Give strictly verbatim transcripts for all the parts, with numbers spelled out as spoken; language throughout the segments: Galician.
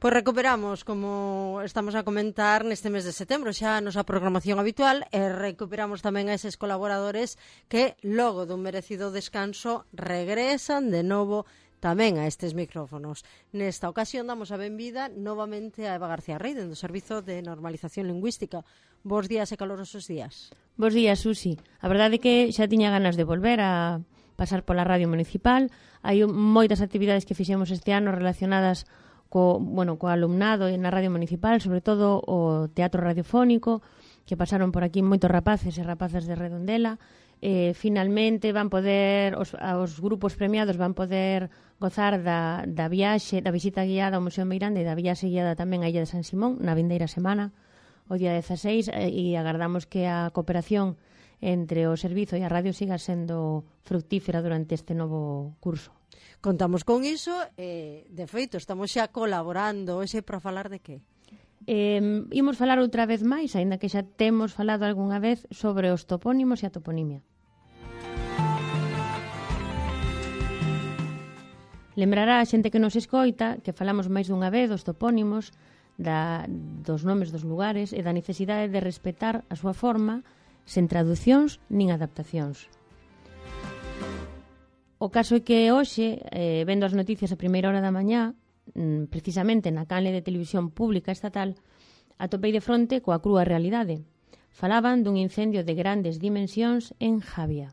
Pois recuperamos, como estamos a comentar, neste mes de setembro xa a nosa programación habitual e recuperamos tamén a eses colaboradores que logo dun merecido descanso regresan de novo tamén a estes micrófonos. Nesta ocasión damos a benvida novamente a Eva García Rey, do Servizo de Normalización Lingüística. Bos días e calorosos días. Bos días, Susi. A verdade é que xa tiña ganas de volver a pasar pola radio municipal. Hai moitas actividades que fixemos este ano relacionadas co, bueno, co alumnado na radio municipal, sobre todo o teatro radiofónico, que pasaron por aquí moitos rapaces e rapazas de Redondela. Eh, finalmente van poder, os, os grupos premiados van poder gozar da, da viaxe, da visita guiada ao Museo Meirande e da viaxe guiada tamén á Illa de San Simón na vindeira semana, o día dezaseis, eh, e agardamos que a cooperación entre o servizo e a radio siga sendo fructífera durante este novo curso. Contamos con iso e, de feito, estamos xa colaborando hoxe para falar de que? Eh, imos falar outra vez máis, aínda que xa temos falado algunha vez sobre os topónimos e a toponimia. Lembrará a xente que nos escoita que falamos máis dunha vez dos topónimos, da, dos nomes dos lugares e da necesidade de respetar a súa forma sen traducións nin adaptacións. O caso é que hoxe, eh, vendo as noticias a primeira hora da mañá, precisamente na canle de televisión pública estatal, atopei de fronte coa crúa realidade. Falaban dun incendio de grandes dimensións en Javia.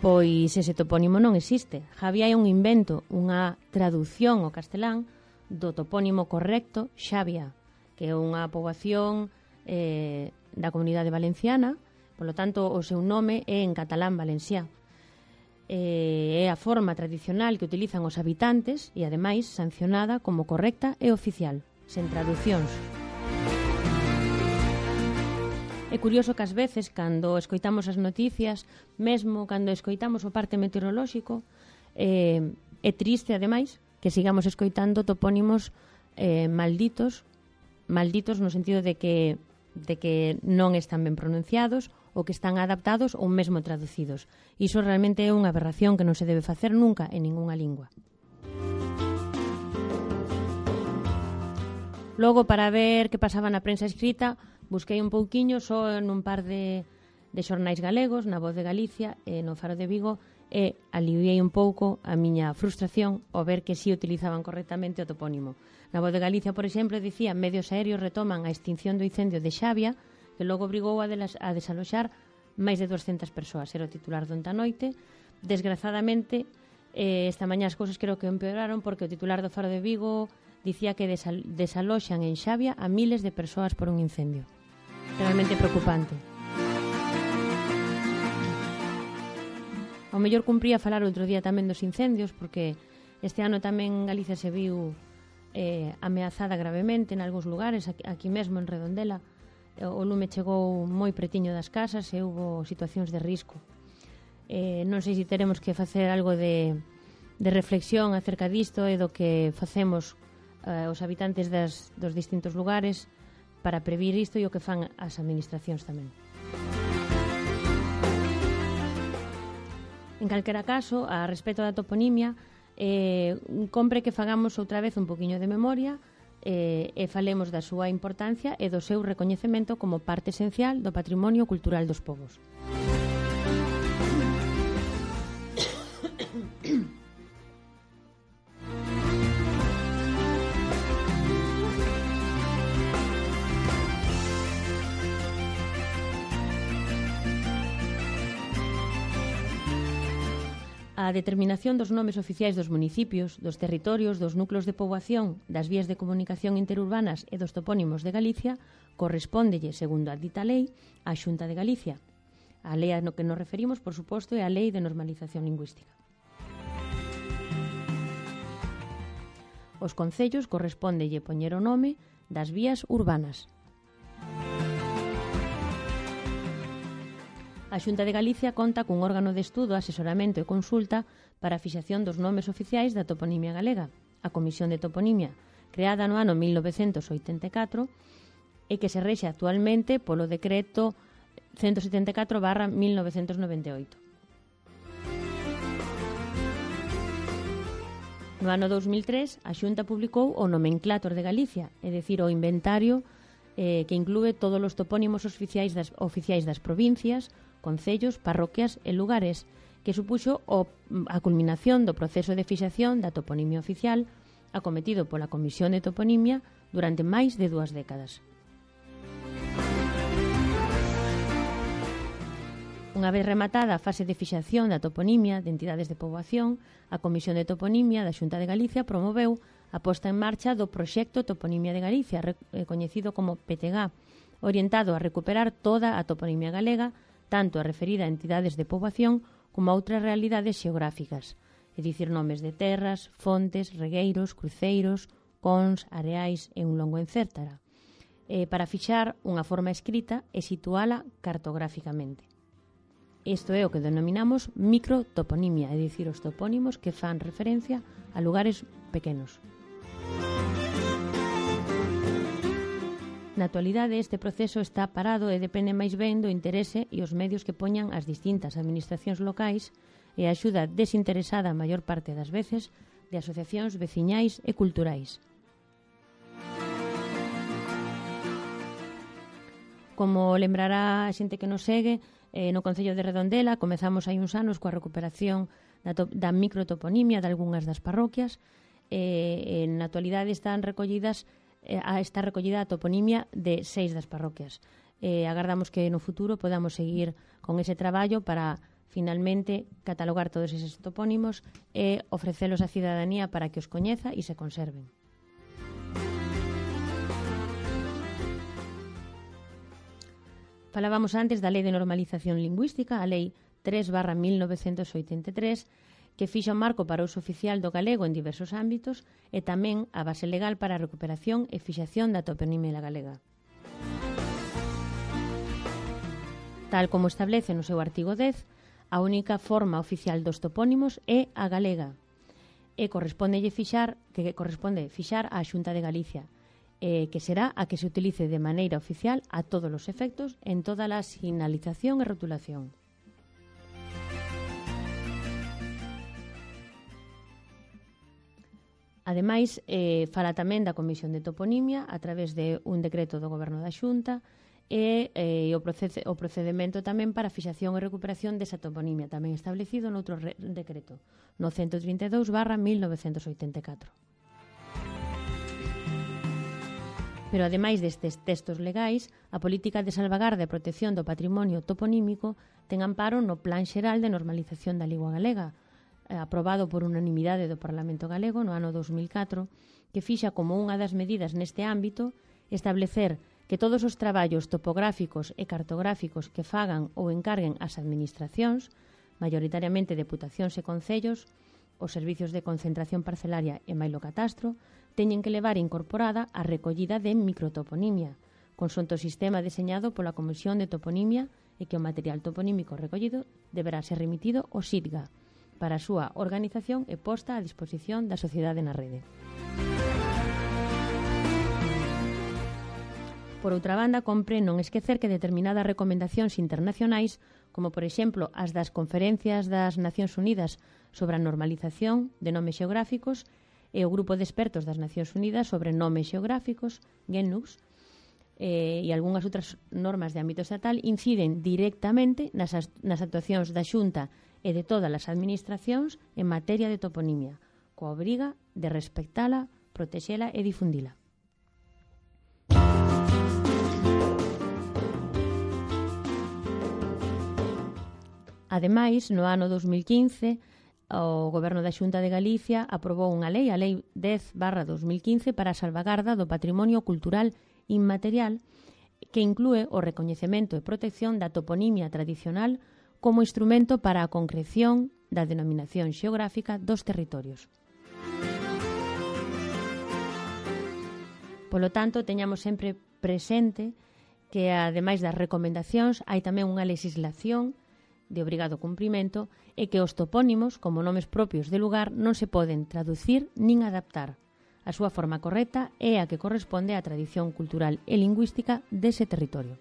Pois ese topónimo non existe. Javia é un invento, unha traducción ao castelán do topónimo correcto Xavia, que é unha poboación eh, da comunidade valenciana, polo tanto o seu nome é en catalán valenciá. Eh, é a forma tradicional que utilizan os habitantes e, ademais, sancionada como correcta e oficial, sen traducións. É curioso que ás veces, cando escoitamos as noticias, mesmo cando escoitamos o parte meteorolóxico, eh, é triste, ademais, que sigamos escoitando topónimos eh, malditos, malditos no sentido de que, de que non están ben pronunciados ou que están adaptados ou mesmo traducidos. Iso realmente é unha aberración que non se debe facer nunca en ningunha lingua. Logo, para ver que pasaba na prensa escrita, busquei un pouquiño só nun par de, de xornais galegos, na Voz de Galicia e no Faro de Vigo, e aliviei un pouco a miña frustración ao ver que si utilizaban correctamente o topónimo. Na Voz de Galicia, por exemplo, dicía: medios aéreos retoman a extinción do incendio de Xavia, que logo obrigou a, delas, a desaloxar máis de doscientas persoas. Era o titular do Noite. Desgrazadamente, eh, esta mañá as cousas creo que empeoraron, porque o titular do Faro de Vigo dicía que desal, desaloxan en Xavia a miles de persoas por un incendio. Realmente preocupante. Ao mellor cumpría falar outro día tamén dos incendios, porque este ano tamén Galicia se viu eh, ameazada gravemente en algúns lugares, aquí, aquí mesmo en Redondela. O lume chegou moi pretiño das casas e houve situacións de risco. Eh, non sei se teremos que facer algo de, de reflexión acerca disto e do que facemos eh, os habitantes das, dos distintos lugares para previr isto e o que fan as administracións tamén. En calquera caso, a respecto da toponimia, eh, compre que fagamos outra vez un poquinho de memoria e, e falemos da súa importancia e do seu recoñecemento como parte esencial do patrimonio cultural dos povos. A determinación dos nomes oficiais dos municipios, dos territorios, dos núcleos de poboación, das vías de comunicación interurbanas e dos topónimos de Galicia correspóndelle, segundo a dita lei, á Xunta de Galicia. A lei a no que nos referimos, por suposto, é a Lei de Normalización Lingüística. Os concellos correspóndelle poñer o nome das vías urbanas. A Xunta de Galicia conta cun órgano de estudo, asesoramento e consulta para a fixación dos nomes oficiais da toponimia galega, a Comisión de Toponimia, creada no ano mil novecentos oitenta e catro e que se rexe actualmente polo decreto ciento setenta e catro barra mil novecentos noventa e oito. No ano dous mil tres, a Xunta publicou o Nomenclátor de Galicia, é dicir, o inventario eh, que inclúe todos os topónimos oficiais das, oficiais das provincias, concellos, parroquias e lugares, que supuxo o, a culminación do proceso de fixación da toponimia oficial acometido pola Comisión de Toponimia durante máis de dúas décadas. Unha vez rematada a fase de fixación da toponimia de entidades de poboación, a Comisión de Toponimia da Xunta de Galicia promoveu a posta en marcha do Proxecto Toponimia de Galicia, coñecido como P T G A, orientado a recuperar toda a toponimia galega, tanto a referida a entidades de poboación como a outras realidades xeográficas, é dicir, nomes de terras, fontes, regueiros, cruceiros, cons, areais e un longo etcétera, eh, para fixar unha forma escrita e situala cartográficamente. Isto é o que denominamos microtoponimia, é dicir, os topónimos que fan referencia a lugares pequenos. Na actualidade, este proceso está parado e depende máis ben do interese e os medios que poñan as distintas administracións locais e a axuda desinteresada a maior parte das veces de asociacións veciñais e culturais. Como lembrará a xente que nos segue, eh, no Concello de Redondela comezamos hai uns anos coa recuperación da, da microtoponimia de algunhas das parroquias e eh, na actualidade están recollidas eh, está recollida a toponimia de seis das parroquias. Eh, agardamos que no futuro podamos seguir con ese traballo para finalmente catalogar todos eses topónimos e ofrecelos á cidadanía para que os coñeza e se conserven. Falábamos antes da Lei de Normalización Lingüística, a Lei tres barra mil novecentos oitenta e tres, que fixa un marco para o uso oficial do galego en diversos ámbitos e tamén a base legal para a recuperación e fixación da toponimia galega. Tal como establece no seu artigo dez, a única forma oficial dos topónimos é a galega e correspondelle fixar, que corresponde fixar á Xunta de Galicia, eh, que será a que se utilice de maneira oficial a todos os efectos en toda a sinalización e rotulación. Ademais, eh, fala tamén da Comisión de Toponimia a través de un decreto do Goberno da Xunta e eh, o, procede, o procedimento tamén para a fixación e recuperación desa toponimia, tamén establecido noutro re, decreto, no ciento trinta e dous barra mil novecentos oitenta e catro. Pero, ademais destes textos legais, a política de salvagarda e protección do patrimonio toponímico ten amparo no Plan Xeral de Normalización da Lingua Galega, aprobado por unanimidade do Parlamento Galego no ano dos mil catro, que fixa como unha das medidas neste ámbito establecer que todos os traballos topográficos e cartográficos que fagan ou encarguen as administracións, maioritariamente deputacións e concellos, os servizos de concentración parcelaria e mailo catastro, teñen que levar incorporada a recollida de microtoponimia, consoante o sistema deseñado pola Comisión de Toponimia e que o material toponímico recollido deberá ser remitido ao S I D G A para a súa organización e posta a disposición da sociedade na rede. Por outra banda, compre non esquecer que determinadas recomendacións internacionais, como por exemplo as das conferencias das Nacións Unidas sobre a normalización de nomes xeográficos e o Grupo de Expertos das Nacións Unidas sobre nomes xeográficos, GENUX, eh, e algunhas outras normas de ámbito estatal inciden directamente nas, nas actuacións da Xunta e de todas as administracións en materia de toponimia, coa obriga de respectala, protexela e difundila. Ademais, no ano dos mil quince, o Goberno da Xunta de Galicia aprobou unha lei, a Lei dez barra dos mil quince, para a salvagarda do patrimonio cultural inmaterial, que inclúe o recoñecemento e protección da toponimia tradicional como instrumento para a concreción da denominación xeográfica dos territorios. Polo tanto, teñamos sempre presente que, ademais das recomendacións, hai tamén unha legislación de obrigado cumprimento e que os topónimos, como nomes propios de lugar, non se poden traducir nin adaptar. A súa forma correcta é a que corresponde á tradición cultural e lingüística dese territorio.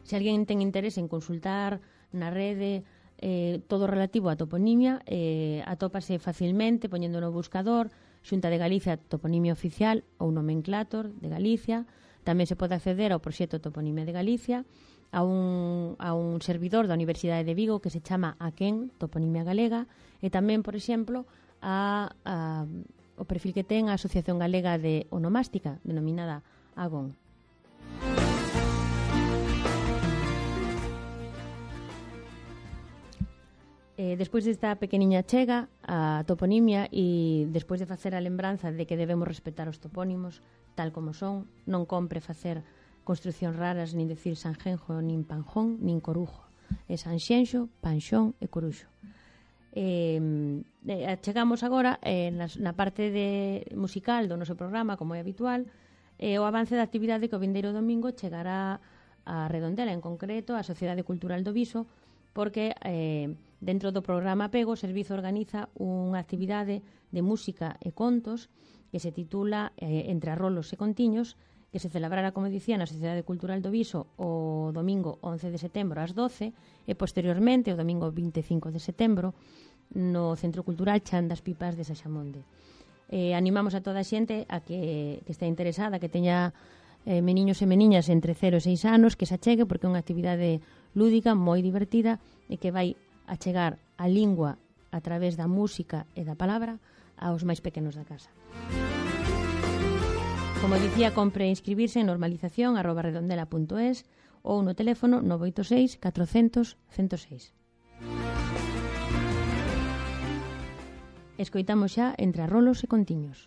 Se alguén ten interese en consultar na rede eh, todo relativo a toponimia, eh, atópase facilmente poñendo no buscador Xunta de Galicia Toponimia Oficial ou Nomenclator de Galicia. Tamén se pode acceder ao proxecto Toponimia de Galicia, a un, a un servidor da Universidade de Vigo que se chama AQUEN, Toponimia Galega, e tamén, por exemplo, a, a, o perfil que ten a Asociación Galega de Onomástica, denominada AGON. Eh, despois desta pequeniña chega a toponimia e despois de facer a lembranza de que debemos respetar os topónimos tal como son, non compre facer construccións raras nin decir Sanjenjo, nin Panjón, nin Corujo. É Sanxenxo, Panxón e Coruxo. Eh, chegamos agora eh, na, na parte de musical do noso programa, como é habitual, eh, o avance da actividade que o vindeiro domingo chegará a Redondela, en concreto a Sociedade Cultural do Viso, porque eh, dentro do programa Apego o servizo organiza unha actividade de música e contos que se titula eh, Entre arrolos e contiños, que se celebrará, como dicía, na Sociedade Cultural do Viso o domingo once de setembro ás doce e posteriormente o domingo vinte e cinco de setembro no Centro Cultural Chan das Pipas de Saxamonde. Eh, animamos a toda a xente a que, que está interesada, que teña eh, meniños e meniñas entre cero e seis anos, que se achegue porque é unha actividade lúdica, moi divertida e que vai a chegar a lingua a través da música e da palabra aos máis pequenos da casa. Como dicía, compre inscribirse en normalización arroba redondela punto es ou no teléfono nove oito seis catrocentos cento seis. Escoitamos xa Entre arrolos e contiños.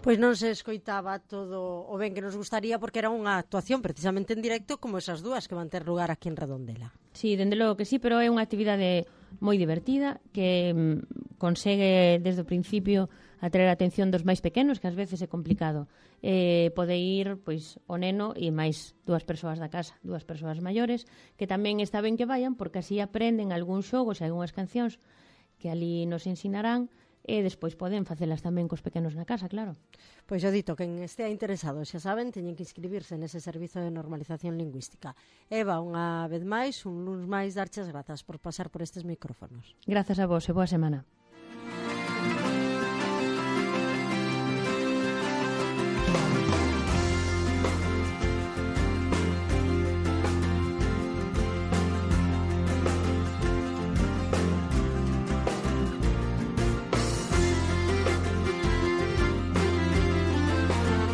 Pois non se escoitaba todo o ben que nos gustaría porque era unha actuación precisamente en directo como esas dúas que van ter lugar aquí en Redondela. Sí, dende logo que sí, pero é unha actividade moi divertida que mm, consegue desde o principio atraer a atención dos máis pequenos, que ás veces é complicado. Eh, pode ir pois o neno e máis dúas persoas da casa, dúas persoas maiores, que tamén está ben que vayan porque así aprenden algúns xogos e algunhas cancións que ali nos ensinarán e despois poden facelas tamén cos pequenos na casa, claro. Pois o dito, quen estea interesado, xa saben, teñen que inscribirse nese servizo de normalización lingüística. Eva, unha vez máis, un luns máis, darches grazas por pasar por estes micrófonos. Grazas a vos e boa semana.